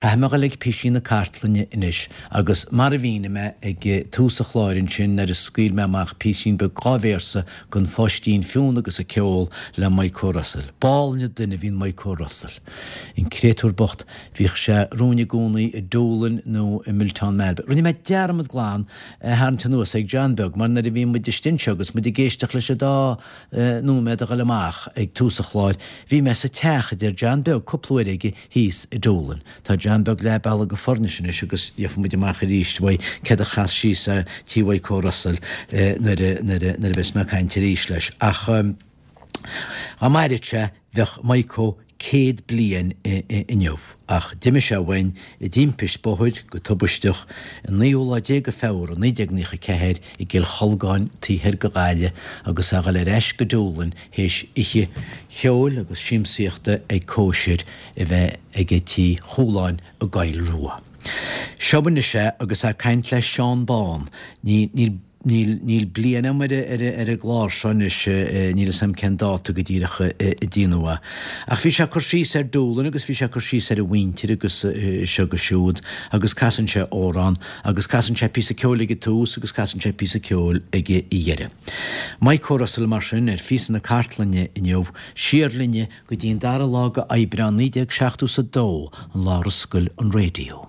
Caithfidh mé a dhul ag píosaí na cartlainne anois agus mar a mhínigh mé ag tús an chláir ansin nuair a scaoil mé amach píosín beag dá véarsa den Pháistín Fionn agus a Ceol le Maidhc Ó Russell. B'álainn an duine a bhí in Maidhc Ó Russell. An créatúr bocht, bhíodh sé romhainn i gcónaí i Doolin nó i Miltown Malbay. Rinne mé dearmad glan é a tharraingt anuas ag John Beag mar nuair a bhí muid istigh anseo agus muid ag éisteacht leis an dá nóiméad a ghoil amach ag tús an chláir, bhí mé sa teach a deir John Beag cúpla uair aige thíos i Doolin. Tá John Beag leath bealaigh go Foirnis anois agus gheobhaidh muid amach arís uaidh céard a chas síos é tí Mhaidhc Ó Russell nuair a nuair a nuair a bheas mé ag caint arís leis. Ach dá mairfeadh sé bheadh Maidhc Ó 100 bliain inniu. Ach d'imigh sé uainn i dtimpist bóthair go tubaisteach an naoú lá déag de Feabhra 1994 i gCill Cholgáin taobh thoir de Ghaillimh agus é a dhul ar ais go Doolin théis oíche cheoil agus siamsaíochta ag cóisir a bheith aige Tí Chualáin i gCoill Rua. Seo anois é agus é ag caint le Seán Bán. Ní, níl, níl, níl bliain agam ar, ar, ar an gclár seo anois, níl fhios agam cén dáta go díreach a déanadh é. Ach bhí sé ag cur síos ar Doolin agus bhí sé ag cur síos ar a mhuintir agus seo agus siúd agus casann sé amhrán agus casann sé píosa ceoil ag an tús agus casann sé píosa ceoil ag a dheireadh. Maidhc Ó Russell mar sin ar phíosa na cartlainne inniu, siar linne go dtí an dara lá de Aibreán 1972, an lá ar oscail an raidió.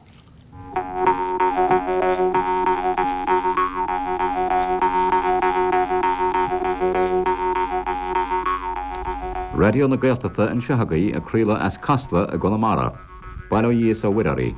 Raidió na Gaeltachta anseo agaibh ag craoladh as Casla i gConamara. Bail ó Dhia is ó Mhuire oraibh.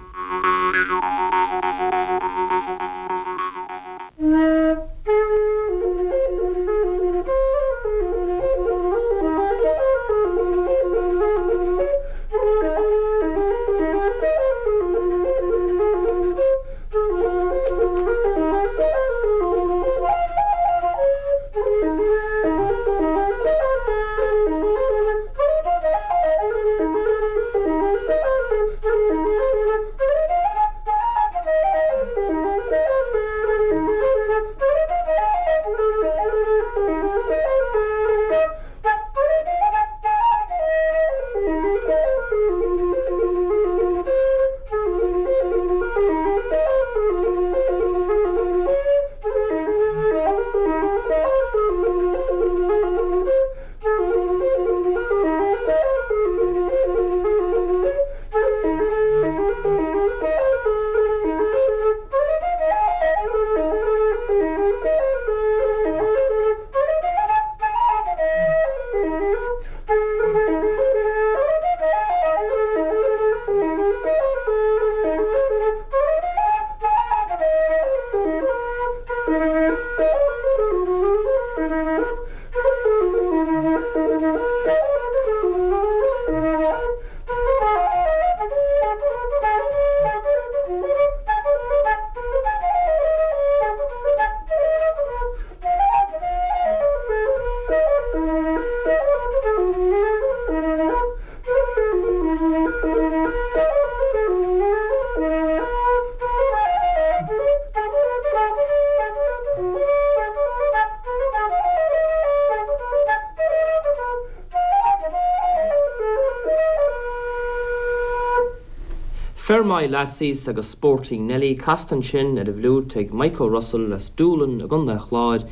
Fermoy Lassies agus Sporting Nelly casta ansin ar an bhfliúit ag Mike O'Russell as Doolin i gContae an Chláir.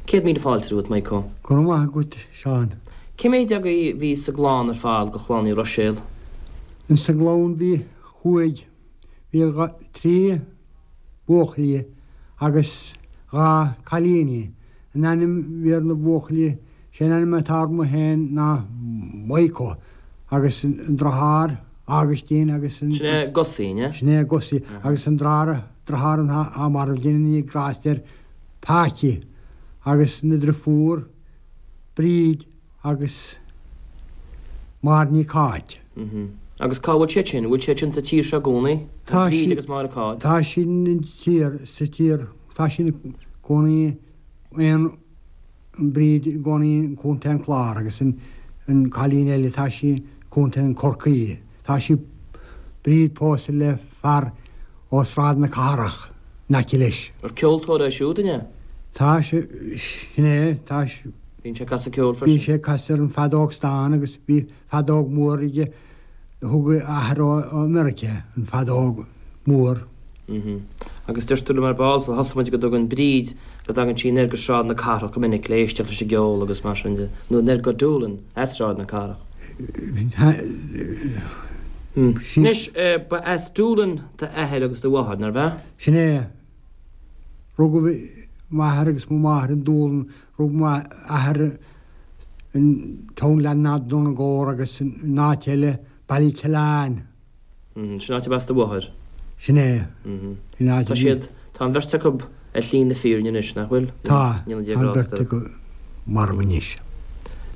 100,000 fáilte romhat, Mike O. Go raibh maith agat, Seán. Cé méid agaibh a bhí sa gclann ar fad de chlann Uí Ruiséil? Insa gclann bhí chúig, bhí trí buachaillí agus 2 cailíní. An ainm a bhí ar na buachaillí, sé an ainm atá orm féin ná Maidhc agus an driotháir Augustine agus an. Sin é Gussie, an ea? Sin é Gussie agus an driotháir, driotháir atá marbh, déana Dia grást air, Patsy agus na driofúr Bríd agus Máire Ní Cáit. Agus cá bhfuil siad sin? An bhfuil siad sin sa tír seo i gcónaí? Tá Bríd agus Máire Cáit. Tá siad in tír, sa tír, tá siad ina gcónaí aon, an Bríd i gcónaí i gContae an Chláir agus an an cailín eile tá sí i gContae an Chorcaí. Tá sí, Bríd pósta le fear ó Sráid na Cathrach in aice leis. Ar ceoltóir é siúd, an ea? Tá sé, sin é, tá sé. Bíonn sé ag casadh ceoil freisin. Bíonn sé ag casadh ar an feadóg stáin agus bhí feadóg mhór aige. Thug a athair ó Meiriceá an feadóg mhór. Agus deir tú liom ar ball sular thosaigh muid go dtugann Bríd, go dtagann sí anoir go Sráid na Cathrach go minic le éisteacht leis an gceol agus mar sin de, nó anoir go Doolin as Sráid na Cathrach. Anois, ba as Doolin d'athair agus do mháthair, nárbh ea? Sin é. Rugadh m'athair agus mo mháthair in Doolin, rug m'athair in townland Donegore agus in áit eile, Ballykillan. Sin áit arb as do mháthair? Sin é. Sin áit a Tá siad, tá an bheirt acu ar shlí na fírinne anois, nach bhfuil? Tá, tá an bheirt acu marbh anois.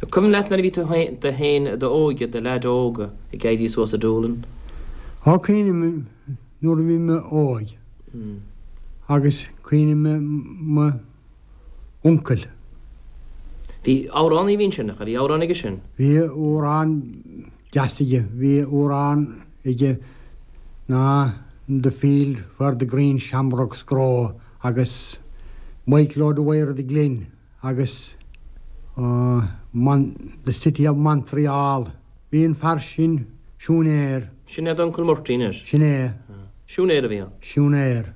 An cuimhin leat nuair a bhí tú tú féin i d'óige, i do leaid óg ag éirí suas i Doolin? Á, cuimhním nuair a bhí mé óg agus cuimhním mo uncail. Bhí amhránaí a bhí ansin, nach ea? Bhí amhrán aige sin? Bhí amhrán deas aige. Bhí amhrán aige ná In the field where the green shamrocks grow agus Michael O'Dwyer of the Glen agus The City of Montreal. Bhí an fear sin siúinéir. Sin é d'uncail Murty anois? Sin é. Siúinéir a bhí ann? Siúinéir.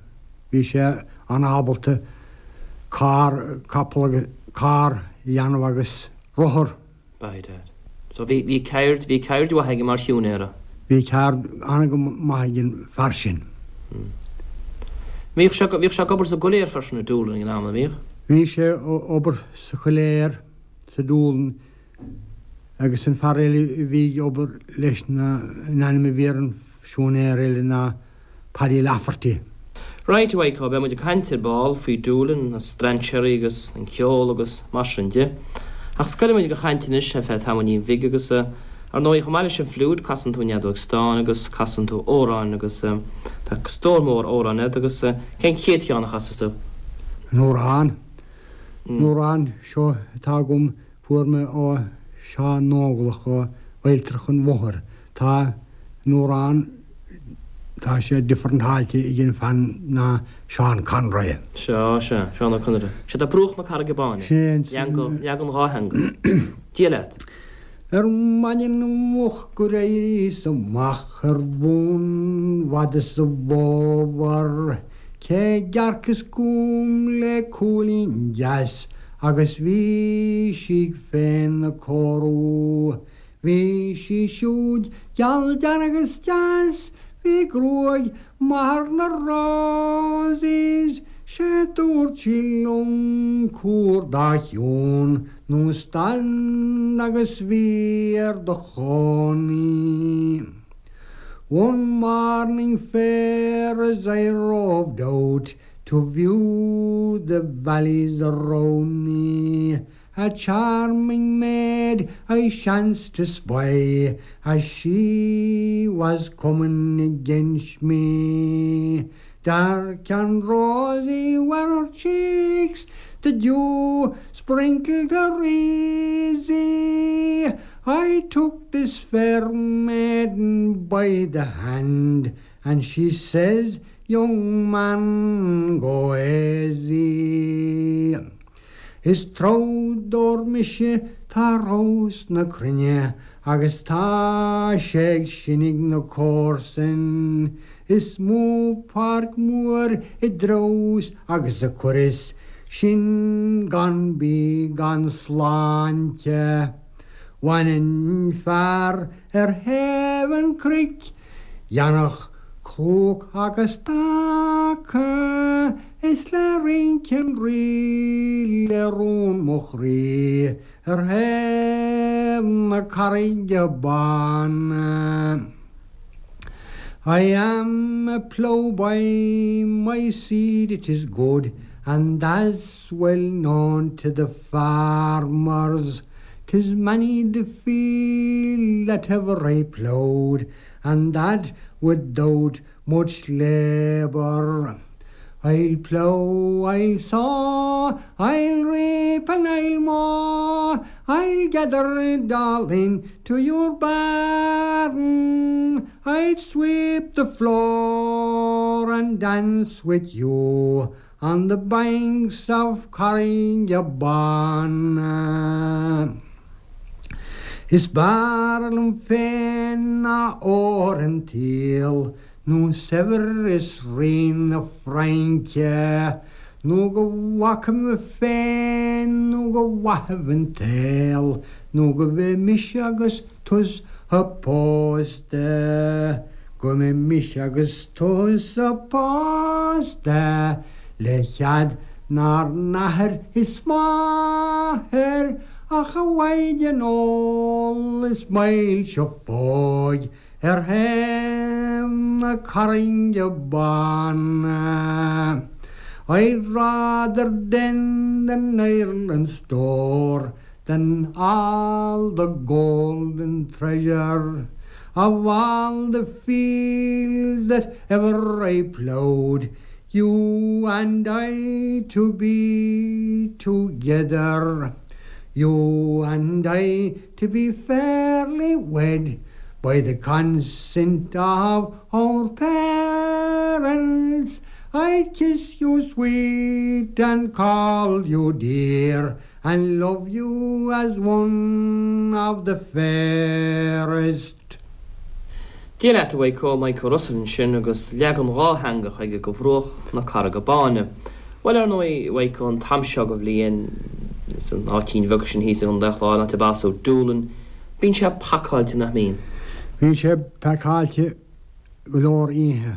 Bhí sé an-ábalta carr, capall agus carr a dhéanamh agus rothar. By dad. So bhí, bhí ceird, bhí ceird mhaith aige mar shiúinéara. Bhí ceird an-go maith ag an fear sin. Bhíodh sé, bhíodh sé ag obair sa gcoiléar freisin i Doolin ag an am, an mbíodh? Bhí sé ag obair sa choiléar sa Doolin agus an fear eile a bhí ag obair leis ná, an ainm a bhí ar an siúinéir eile ná Paddy Lafferty. Right, a Mhaidhc, beidh muid ag caint ar ball faoi Doolin, na strainséirí agus an ceol agus mar sin de. Ach scoilfidh muid den chaint anois ar feadh tamaillín bhig agus, ar ndóigh, chomh maith leis an bhfliúit, casann tú an fheadóg stáin agus casann tú amhráin agus tá stór mór amhrán agat agus cén chéad cheann a chasfas tú? An amhrán? An amhrán seo atá agam Fuair mé ó Seán Nóglach ó Bhailtreach an Mhothair. Tá an amhrán, tá sé differentáilte ag an fear ná Seán Conroy. Sea, sea, Seán Ó Conaire. Sé tá bruach na Carraige Báine. Sin é an. Leagan, leagan dhátheangach. Dia leat. Ar maidin mhoch gur éiríos amach ar bhun fhada sa bhfómhar, cé dearcas chugam le cúilín deas agus bhí sí féna cóiriú. Bhí sí siúd geal dearg is deas, bhí gruaig maith ar na roses, 'sé dúirt sí liom cuir do chion nó stad agus bí ar do chónaí. One morning fair as I roved out to view the valleys around me, A charming maid I chanced to spy as she was coming against me. Dark and rosy were her cheeks, the dew sprinkled her easy. I took this fair maiden by the hand, and she says, Young man, go aisy. Is treabhdóir mise tá ar thomhas na cruinne agus tá sé ag sineadh na comharsan. Is mó páirc mhór a dtreabhas agus a chuireas sinn gan bídh gan sláinte. Bhaininn fear ar thaobh an chnoic Dhéanfadh cróc agus taca Is le rince an rí le rún mo chroí Ar thaobh na Carraige Báine. I am a ploughboy, my seed it is good And that's well known to the farmers 'Tis many the field that ever I ploughed And that without much labour. I'll plough, I'll sow, I'll reap and I'll mow, I'll gather it all in to your barn, I'd sweep the floor and dance with you on the banks of Carrigabawn. Is b'fhearr liom féin ná ór an tsaoil nó saibhreas Rí na Fraince, nó go bhfaca mé féin nó go bhfaigheadh an t-saol, nó go mbeidh mise agus tusa pósta, go mbeidh mise agus tusa pósta, le cead 'nár n-athair is máthair, ach a mhaighdean umhal is m'fhoilseofóidh ar thaobh na Carrainge Báine. I'd rather tend in Ireland's store than all the gold and treasure of all the fields that ever I ploughed, you and I to be together, you and I to be fairly wed by the consent of our parents, I'd kiss you sweet and call you dear and love you as one of the fairest. Dia leat a Mhaidhc Ó, Maidhc Ó Russell ansin agus leagan dhátheangach aige de Bhruach na Carraige Báine. Bhuel, ar ndóigh, a Mhaidhc Ó, an t-am seo de bhliain, san áitín bheag sin thíos i gContae an Chláir, an áit arb as thú, Doolin, bíonn sé pacáilte, nach mbíonn? Bíonn sé pacáilte go leor oíche.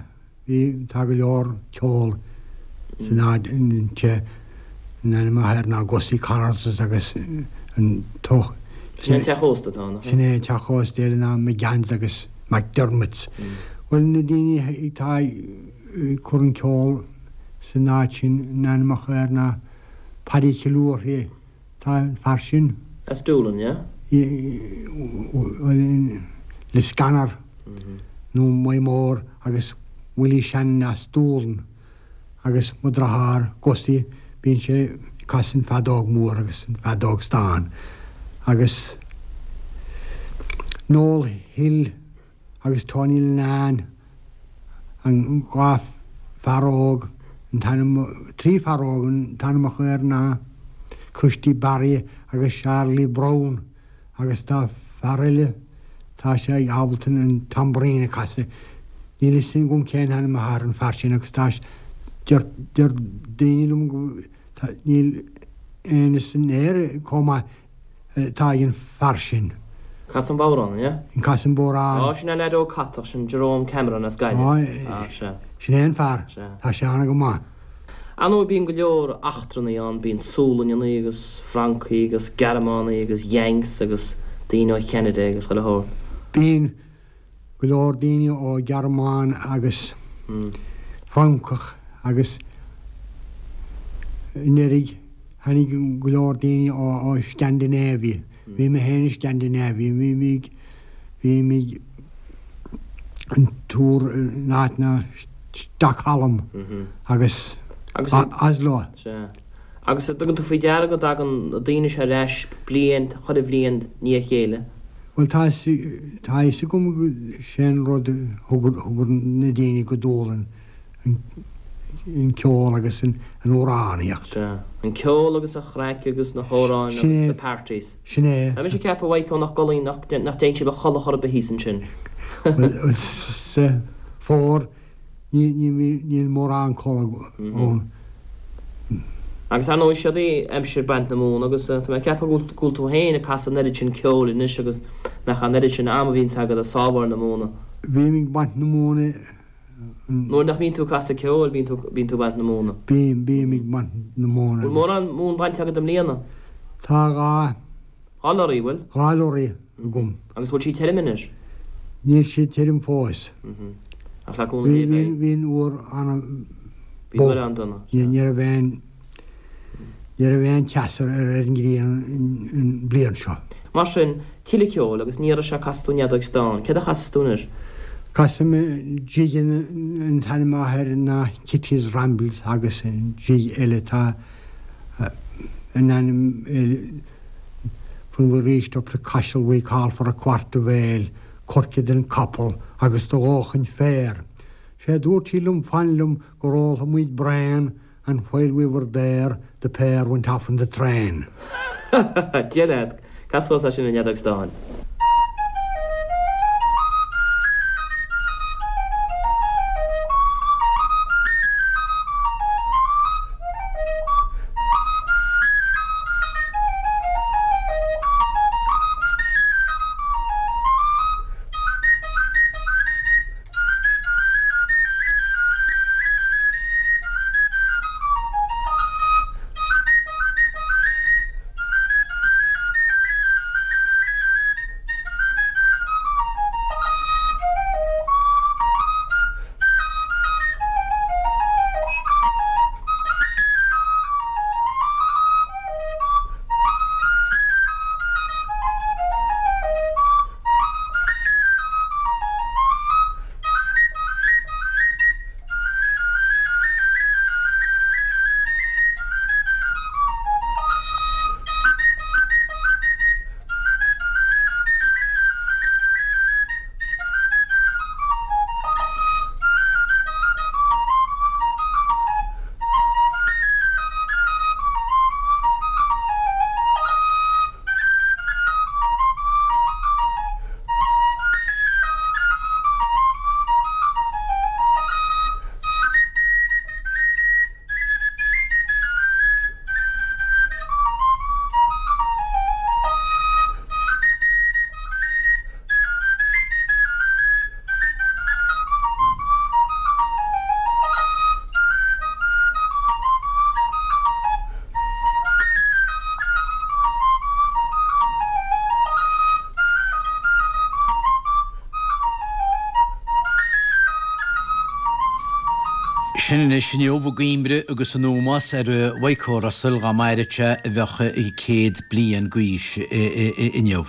Bhí, tá go leor ceol san áit, an t-ainm atá air ná Gussie Connors agus an t-. Sin é an teach ósta atá ann, nach ea? Sin é an teach ósta eile ná McGann's agus McDermott's. Bhuel, na daoine atá ag cur an ceol san áit sin, an t-ainm atá air ná Paddy Killourhy. Tá an fear sin. As Doolin, yeah? Liscannor nó Maigh Mór agus Willie Shannon as Doolin agus mo dhriotháir Gussie bíonn sé ag casadh an feadóg mór agus an feadóg stáin agus Noel Hill agus Tony Linnane, an dá fear óg, an t-ainm, trí fear óg, an t-ainm acu air ná Christy Barry agus Charlie Brown agus tá fear eile, tá sé ábalta an tambourine a casadh, níl fhios agam cén ainm atá ar an fear sin agus tá, deir, deir daoine liom go, tá, níl éinne san Éirinn chomh maith atá ag an fear sin. Casadh an bodhrán, an ea? An casadh an bodhrán. Á, sin é leaid óg catach, sin Jerome Cameron as Gaillimh. Á, sea. Sin é an fear. Sea. Tá sé an-go maith. Ar ndóigh bíonn go leor eachtrannaigh ann, bíonn Sualainneannaí agus Francaigh agus Gearmánaigh agus Yanks agus daoine ó Cheanada agus chuile shórt. Bíonn. go leor daoine ó Ghearmáin agus Francach agus anuraidh tháinig go leor daoine ó Scandinavia. Bhí mé féin i Scandinavia, bhí mé bhí mé an tour in áit ná Stockholm agus Oslo. Sea. Agus an dtugann tú faoi deara go dtagann na daoine seo ar ais bliain, chuile bhliain i ndiaidh a chéile? Bhuel tá tá fhios agam go sé an rud a thug thug na daoine go Dúlainn an ceol agus an amhránaíocht. Sea. An ceol agus an chraic agus na hamhráin agus na parties. Sin é. Tá mise ag ceapadh a Mhaidhc nach gcodlaíonn nach nach dtéann sibh a chodladh chor ar bith thíos ansin. Bhuel sa fómhar Níl mórán codladh ann. Agus ar ndóigh siod í aimsir baint na móna agus tá mé ag ceapadh go bhfuil tú féin ag casadh an oiread sin ceoil anois agus nach an oiread sin ama a bhíonns agat ag sábháil na móna. Bím ag baint na móna. Nuair nach mbíonn tú ag casadh ceoil bíonn tú bíonn tú ag baint na móna. Bím, bím ag baint na móna. Bhfuil mórán móin bainte agat i mbliana? Tá 2. 2 lorry, bhfuil? 2 lorry agam. Agus bhfuil sí tirim anois? Níl sí tirim fós. Ach le cúnamh Dé beidh. Bhí an uair ana Bhí an uair an-dona. Ní raibh aon ní raibh aon teas ar an ngrian an bliain seo. Mar sin, tuilleadh ceoil agus ní raibh sé casfaidh tú an fheadóig stáin. Céard a chasfas tú anois? Casfaidh mé jig an t-ainm atá air ná Kitty's Rambles agus jig eile atá in ainm When we reached up to Cashel we called for a quart of ale, coirce don capall agus do dhóthain féir. Sé dúirt sí liom fan liom gur ólfaidh muid braon and while we were there the pair went off in the train. Dia leat. Cas suas é sin an fheadóg stáin. Sin anois inniu i gcuimhne agus in ómós ar Mhaidhc Ó Russell, dá maireadh sé a bheadh 100 bliain d'aois inniu.